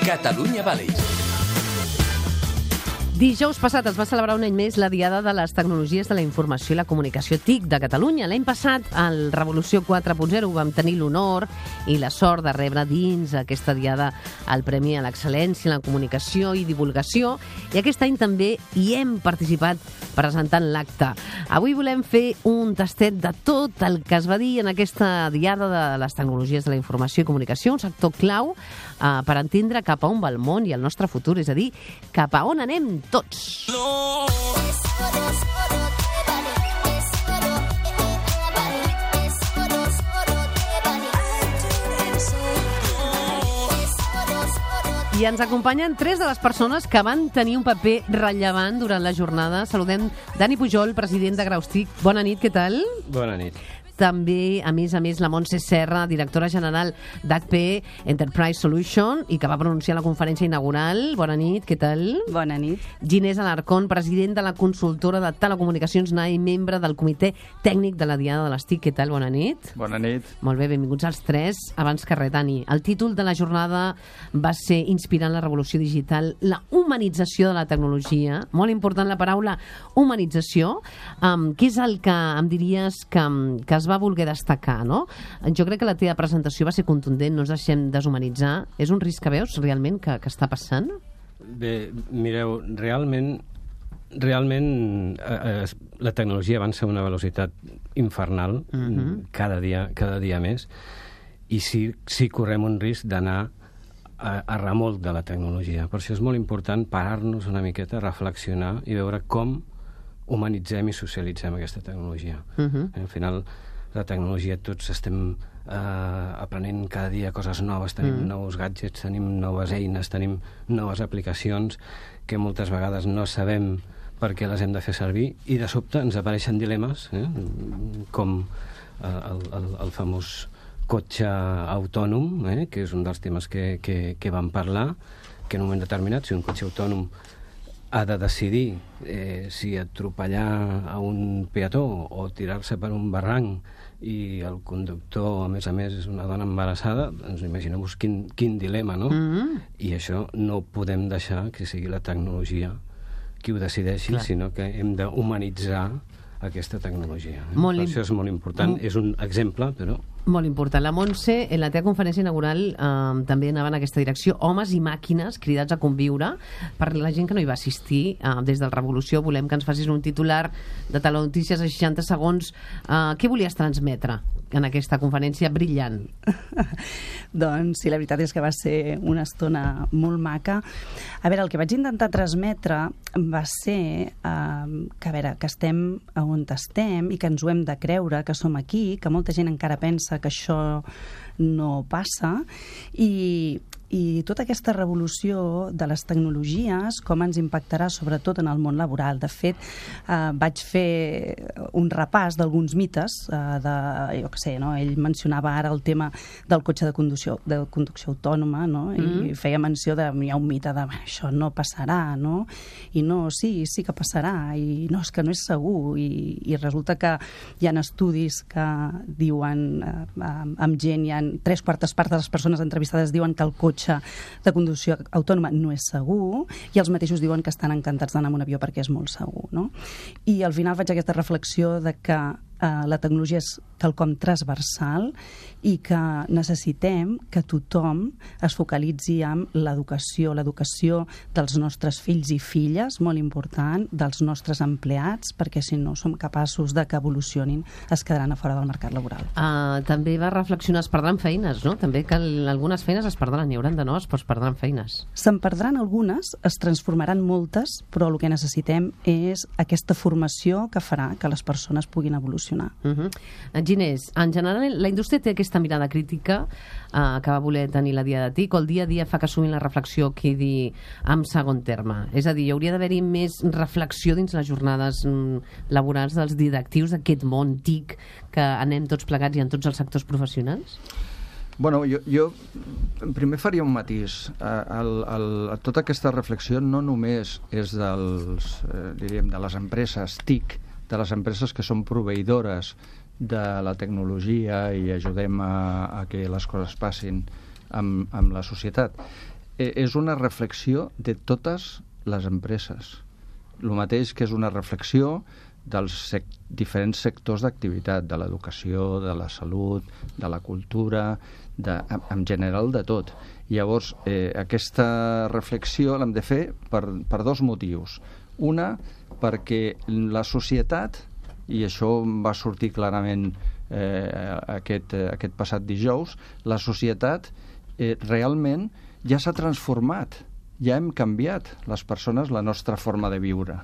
Catalunya Valley. Dijous passat es va celebrar un any més la Diada de les Tecnologies de la Informació i la Comunicació TIC de Catalunya. L'any passat, al Revolució 4.0, vam tenir l'honor i la sort de rebre dins aquesta Diada el Premi a l'Excel·lència en la Comunicació i Divulgació, i aquest any també hi hem participat presentant l'acte. Avui volem fer un tastet de tot el que es va dir en aquesta Diada de les Tecnologies de la Informació i Comunicació, un sector clau per entendre cap a on va el món i el nostre futur, és a dir, cap a on anem tots. I ens acompanyen tres de les persones que van tenir un paper rellevant durant la jornada. Saludem Dani Pujol, president de Graustic. Bona nit, què tal? Bona nit. També, a més, la Montse Serra, directora general d'HP Enterprise Solution, i que va pronunciar la conferència inaugural. Bona nit, què tal? Bona nit. Ginés Alarcón, president de la consultora de telecomunicacions NAI, membre del comitè tècnic de la Diada de les TIC. Què tal? Bona nit. Bona nit. Molt bé, benvinguts als tres. Abans que res, Dani, el títol de la jornada va ser Inspirant la revolució digital, la humanització de la tecnologia. Molt important la paraula humanització. Què és el que em diries que es va voler destacar, no? Jo crec que la teva presentació va ser contundent, no ens deixem deshumanitzar. És un risc que veus realment que està passant? Bé, mireu, realment la tecnologia avança a una velocitat infernal, cada dia més, i sí correm un risc d'anar a remolc de la tecnologia. Per això és molt important parar-nos una miqueta, reflexionar i veure com humanitzem i socialitzem aquesta tecnologia. Al final, la tecnologia, tots estem aprenent cada dia coses noves, tenim nous gadgets, tenim noves eines, tenim noves aplicacions que moltes vegades no sabem per què les hem de fer servir, i de sobte ens apareixen dilemes, com el famós cotxe autònom, que és un dels temes que vam parlar, que en un moment determinat, si un cotxe autònom ha de decidir si atropellar a un peató o tirar-se per un barranc, i el conductor, a més, és una dona embarassada, doncs imagineu-vos quin dilema, no? I això no podem deixar que sigui la tecnologia qui ho decideixi, sinó que hem d'humanitzar aquesta tecnologia. Per això és molt important. És un exemple, però... Molt important. La Montse, en la teva conferència inaugural, també anava en aquesta direcció. Homes i màquines cridats a conviure. Per la gent que no hi va assistir, des del Revolució, volem que ens facis un titular de Telenotícies a 60 segons. Què volies transmetre en aquesta conferència brillant? Doncs sí, la veritat és que va ser una estona molt maca. A veure, el que vaig intentar transmetre va ser que estem on estem i que ens ho hem de creure, que som aquí, que molta gent encara pensa que això no passa, i tota aquesta revolució de les tecnologies, com ens impactarà sobretot en el món laboral. De fet, vaig fer un repàs d'alguns mites, jo què sé, no? Ell mencionava ara el tema del cotxe de conducció autònoma, no? I feia menció de hi ha un mite de això no passarà, no? I no, sí que passarà, i no, és que no és segur, i resulta que hi ha estudis que diuen, amb gent, hi ha 3/4 parts de les persones entrevistades diuen que el cotxe de conducció autònoma no és segur, i els mateixos diuen que estan encantats d'anar en un avió perquè és molt segur, no? I al final faig aquesta reflexió de que la tecnologia és quelcom transversal i que necessitem que tothom es focalitzi en l'educació dels nostres fills i filles, molt important, dels nostres empleats, perquè si no som capaços de que evolucionin, es quedaran a fora del mercat laboral. També va reflexionar, es perdran feines, no? També que algunes feines es perdran, hi hauran de noves, però es perdran feines. Se'n perdran algunes, es transformaran moltes, però el que necessitem és aquesta formació que farà que les persones puguin evolucionar. Ginés, en general la indústria té aquesta mirada crítica que va voler tenir la Diada de TIC, o el dia a dia fa que assumint la reflexió quedi en segon terme? És a dir, hauria d'haver-hi més reflexió dins les jornades laborals dels directius d'aquest món TIC que anem tots plegats i en tots els sectors professionals? Bueno, jo primer faria un matís. Tota aquesta reflexió no només és de les empreses TIC, de les empreses que són proveïdores de la tecnologia i ajudem a que les coses passin amb la societat. és una reflexió de totes les empreses. El mateix que és una reflexió dels diferents sectors d'activitat, de l'educació, de la salut, de la cultura, en general de tot. Llavors, aquesta reflexió l'hem de fer per dos motius. Una, perquè la societat, i això va sortir clarament aquest passat dijous, la societat realment ja s'ha transformat, ja hem canviat les persones la nostra forma de viure.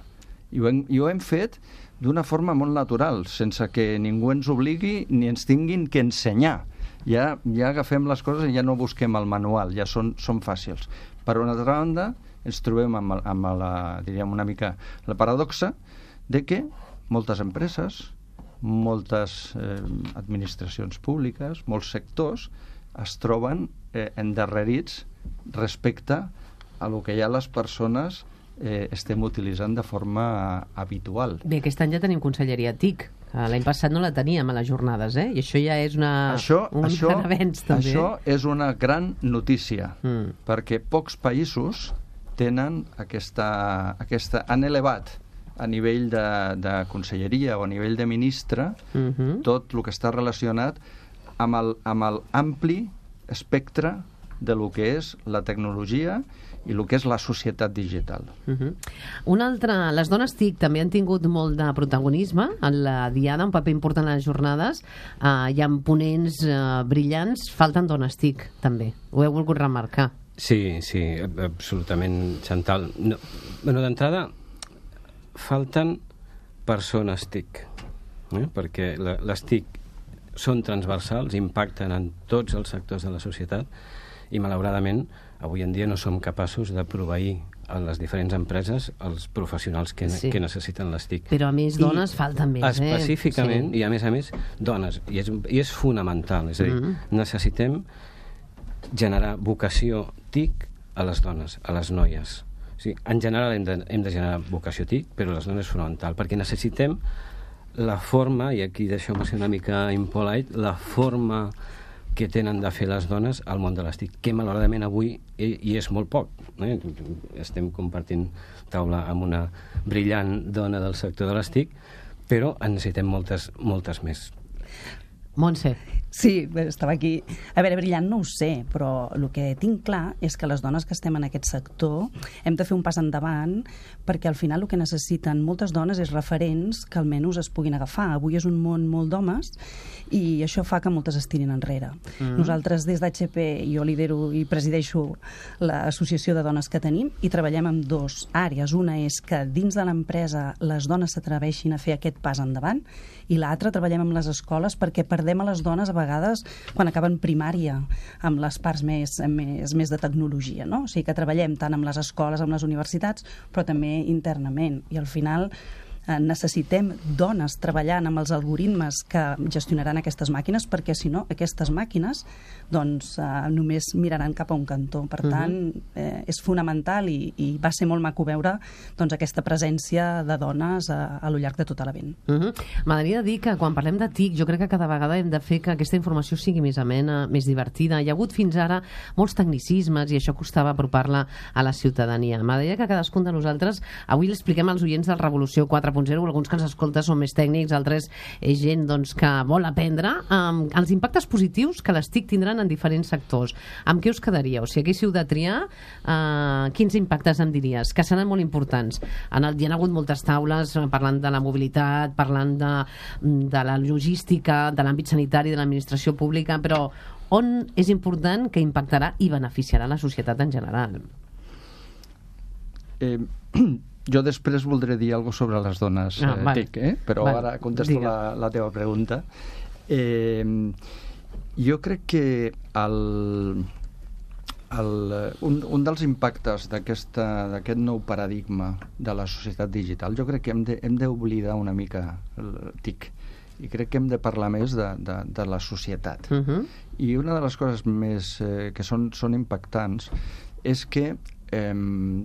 I ho hem fet d'una forma molt natural, sense que ningú ens obligui ni ens tinguin que ensenyar. Ja agafem les coses i ja no busquem el manual, ja són fàcils. Per una altra banda, ens trobem amb diríem una mica la paradoxa de que moltes empreses, moltes administracions públiques, molts sectors es troben endarrerits respecte a el que ja les persones estem utilitzant de forma habitual. Bé, aquest any ja tenim conselleria TIC. L'any passat no la teníem a les jornades, i això ja és un gran avenç, també. Això és una gran notícia, perquè pocs països tenen han elevat a nivell de conselleria o a nivell de ministre tot el que està relacionat amb l'ampli espectre de lo que és la tecnologia i el que és la societat digital. Una altra, les dones TIC també han tingut molt de protagonisme en la diada, un paper important a les jornades. Hi ha ponents brillants, falten dones TIC també, ho heu volgut remarcar. Sí, absolutament, Chantal. D'entrada, falten persones TIC, perquè les TIC són transversals, impacten en tots els sectors de la societat i, malauradament, avui en dia no som capaços de proveir a les diferents empreses els professionals que necessiten les TIC. Però, a més, dones falten més. Específicament, i a més, dones. I és fonamental. És a dir, necessitem generar vocació TIC a les dones, a les noies. O sigui, en general hem de generar vocació TIC, però les dones és fonamental, perquè necessitem la forma, i aquí deixeu-me ser una mica impolite, la forma que tenen de fer les dones al món de les TIC, que malauradament avui hi és molt poc. Estem compartint taula amb una brillant dona del sector de les TIC, però en necessitem moltes més. Montse. Sí, estava aquí. A veure, brillant no ho sé, però el que tinc clar és que les dones que estem en aquest sector hem de fer un pas endavant, perquè al final el que necessiten moltes dones és referents que almenys es puguin agafar. Avui és un món molt d'homes i això fa que moltes es tirin enrere. Nosaltres des d'HP, jo lidero i presideixo l'associació de dones que tenim i treballem en dues àrees. Una és que dins de l'empresa les dones s'atreveixin a fer aquest pas endavant i l'altra treballem amb les escoles perquè perdem a les dones a vegades quan acaben primària amb les parts més de tecnologia, no? O sigui que treballem tant amb les escoles, amb les universitats, però també internament. I al final necessitem dones treballant amb els algoritmes que gestionaran aquestes màquines, perquè si no, aquestes màquines doncs només miraran cap a un cantó. Per tant, és fonamental i va ser molt maco veure doncs, aquesta presència de dones a lo llarg de tot l'event. M'agradaria dir que quan parlem de TIC, jo crec que cada vegada hem de fer que aquesta informació sigui més amena, més divertida. Hi ha hagut fins ara molts tecnicismes i això costava apropar-la a la ciutadania. M'agradaria que cadascun de nosaltres avui l'expliquem als oients del Revolució 4.0, alguns que ens escolten són més tècnics, altres és gent doncs, que vol aprendre, els impactes positius que les TIC tindran en diferents sectors. Amb què us quedaríeu? Si haguéssiu de triar, quins impactes em diries? Que seran molt importants. Hi ha hagut moltes taules parlant de la mobilitat, parlant de la logística, de l'àmbit sanitari, de l'administració pública, però on és important que impactarà i beneficiarà la societat en general? Jo després voldré dir alguna cosa sobre les dones TIC, però ara contesto la teva pregunta. Jo crec que un dels impactes d'aquest nou paradigma de la societat digital, jo crec que hem d'oblidar una mica el TIC i crec que hem de parlar més de la societat. I una de les coses més que són impactants és que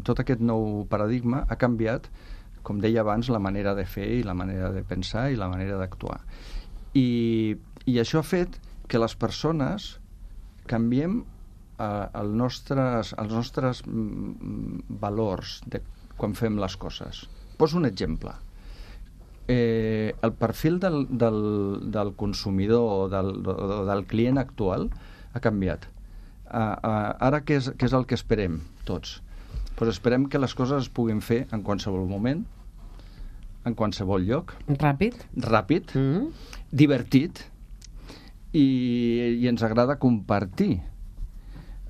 tot aquest nou paradigma ha canviat, com deia abans, la manera de fer i la manera de pensar i la manera d'actuar. I això ha fet que les persones canviem els nostres valors de quan fem les coses. Poso un exemple. El perfil del consumidor o del client actual ha canviat. Ara què és el que esperem tots? Pues esperem que les coses es puguin fer en qualsevol moment, en qualsevol lloc. Ràpid, divertit, i ens agrada compartir.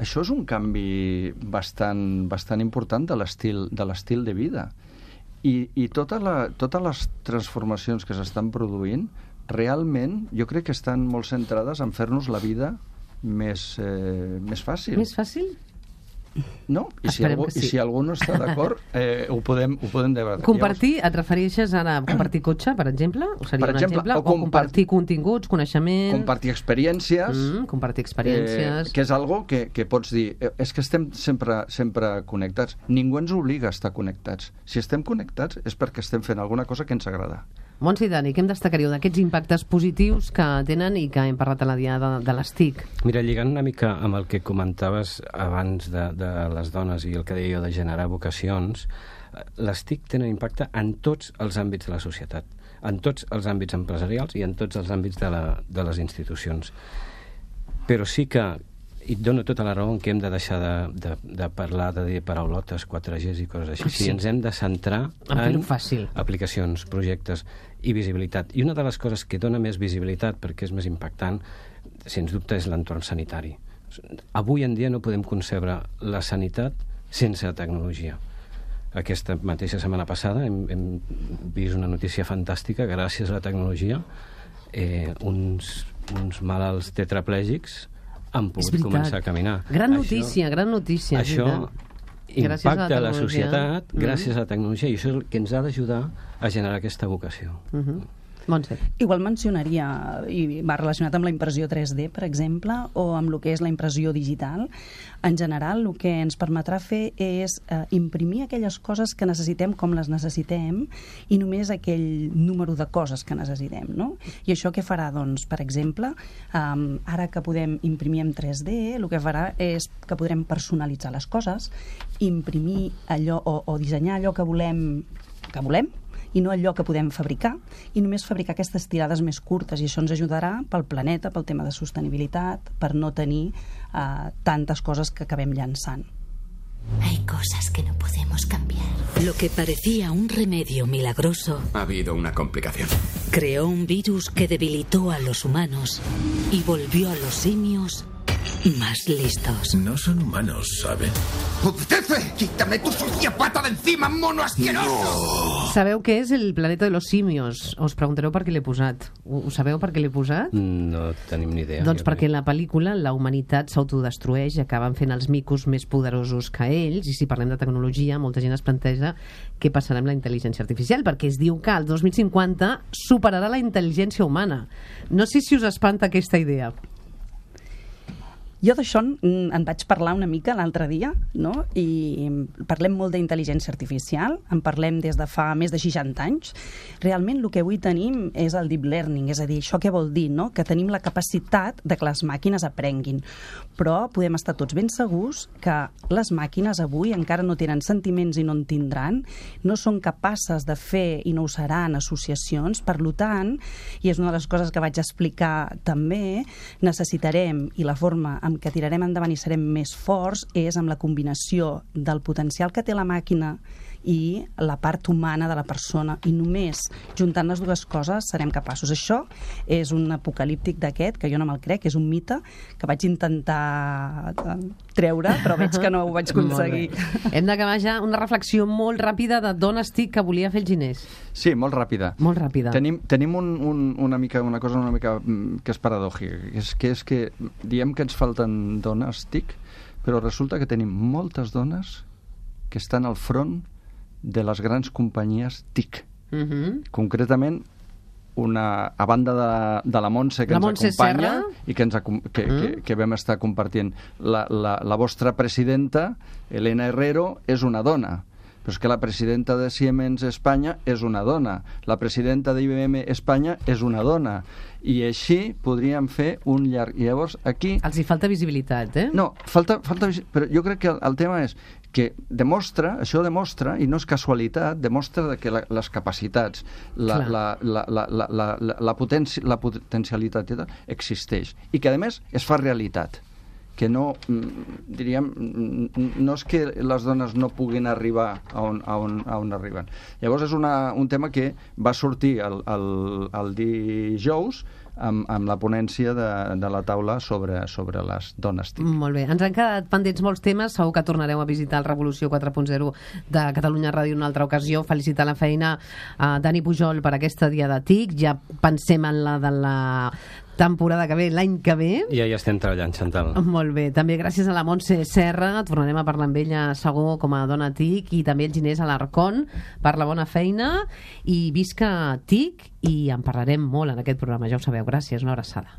Això és un canvi bastant important de l'estil de vida. I totes les transformacions que s'estan produint, realment, jo crec que estan molt centrades en fer-nos la vida més fàcil. Més fàcil? No? I si algú no està d'acord, ho podem debatre. Compartir, et refereixes ara a compartir cotxe, per exemple? O seria un exemple? O compartir continguts, coneixement... Compartir experiències. Compartir experiències. Que és algo que pots dir... És que estem sempre connectats. Ningú ens obliga a estar connectats. Si estem connectats és perquè estem fent alguna cosa que ens agrada. Montse i Dani, què em destacaríeu d'aquests impactes positius que tenen i que hem parlat a la diada de les TIC? Mira, lligant una mica amb el que comentaves abans de les dones i el que deia jo de generar vocacions, les TIC tenen impacte en tots els àmbits de la societat, en tots els àmbits empresarials i en tots els àmbits de les institucions. Però sí que, i et dono tota la raó en què hem de deixar de parlar de dir paraulotes, 4Gs i coses així. Sí, ens hem de centrar en aplicacions, projectes i visibilitat. I una de les coses que dona més visibilitat, perquè és més impactant, sens dubte, és l'entorn sanitari. Avui en dia no podem concebre la sanitat sense tecnologia. Aquesta mateixa setmana passada hem vist una notícia fantàstica, gràcies a la tecnologia, uns malalts tetraplègics han pogut començar a caminar. Gran notícia. Això impacta la societat gràcies a la tecnologia, i això és el que ens ha d'ajudar a generar aquesta vocació. Montse. Igual mencionaria, i va relacionat amb la impressió 3D, per exemple, o amb el que és la impressió digital. En general, el que ens permetrà fer és imprimir aquelles coses que necessitem com les necessitem i només aquell número de coses que necessitem, no? I això què farà? Doncs, per exemple, ara que podem imprimir en 3D, el que farà és que podrem personalitzar les coses, imprimir allò o dissenyar allò que volem i no allò que podem fabricar, i només fabricar aquestes tirades més curtes, i això ens ajudarà pel planeta, pel tema de sostenibilitat, per no tenir tantes coses que acabem llançant. Hay cosas que no podemos cambiar. Lo que parecía un remedio milagroso. Ha habido una complicación. Creó un virus que debilitó a los humanos y volvió a los simios más listos. No son humanos, ¿saben? ¡Obedece! ¡Quítame tu sucia pata de encima, mono asqueroso! No. Sabeu què és el planeta de los simios? Us preguntareu per què l'he posat. Ho sabeu per què l'he posat? No tenim ni idea. Doncs perquè en la pel·lícula la humanitat s'autodestrueix i acaben fent els micos més poderosos que ells, i si parlem de tecnologia, molta gent es planteja què passarà amb la intel·ligència artificial, perquè es diu que el 2050 superarà la intel·ligència humana. No sé si us espanta aquesta idea. Jo d'això en vaig parlar una mica l'altre dia, no? I parlem molt d'intel·ligència artificial, en parlem des de fa més de 60 anys. Realment el que avui tenim és el deep learning, és a dir, això què vol dir, no? Que tenim la capacitat de que les màquines aprenguin. Però podem estar tots ben segurs que les màquines avui encara no tenen sentiments i no en tindran, no són capaces de fer i no ho seran associacions, per tant, i és una de les coses que vaig explicar també, necessitarem, i la forma amb que tirarem endavant i serem més forts és amb la combinació del potencial que té la màquina i la part humana de la persona, i només juntant les dues coses serem capaços. Això és un apocalíptic d'aquest, que jo no me'l crec, és un mite que vaig intentar treure, però veig que no ho vaig aconseguir. Hem d'acabar ja una reflexió molt ràpida de d'on estic que volia fer el Ginés. Sí, molt ràpida. Molt ràpida. Tenim una cosa una mica que és paradòjica, que és que diem que ens falten dones TIC, però resulta que tenim moltes dones que estan al front de les grans companyies TIC. Concretament, a banda de la Montse que ens acompanya i que vam estar compartint. La vostra presidenta, Elena Herrero, és una dona. però és que la presidenta de Siemens Espanya és una dona, la presidenta d'IBM Espanya és una dona, i així podríem fer un llarg... I llavors aquí... Els hi falta visibilitat, eh? No, falta però jo crec que el tema és que això demostra, i no és casualitat, demostra que les capacitats, la potencialitat existeix, i que a més es fa realitat, que no, diríem, no és que les dones no puguin arribar a on arriben. Llavors és un tema que va sortir el dijous amb la ponència de la taula sobre les dones TIC. Molt bé. Ens han quedat pendents molts temes. Segur que tornareu a visitar el Revolució 4.0 de Catalunya Ràdio una altra ocasió. Felicitar la feina a Dani Pujol per aquesta dia de TIC. Ja pensem en la de la temporada que ve, l'any que ve. I ja hi estem treballant, Chantal. Molt bé. També gràcies a la Montse Serra. Tornarem a parlar amb ella segur com a dona TIC, i també el Ginés Alarcón per la bona feina. I visca TIC, i en parlarem molt en aquest programa, ja ho sabeu. Gràcies, una abraçada.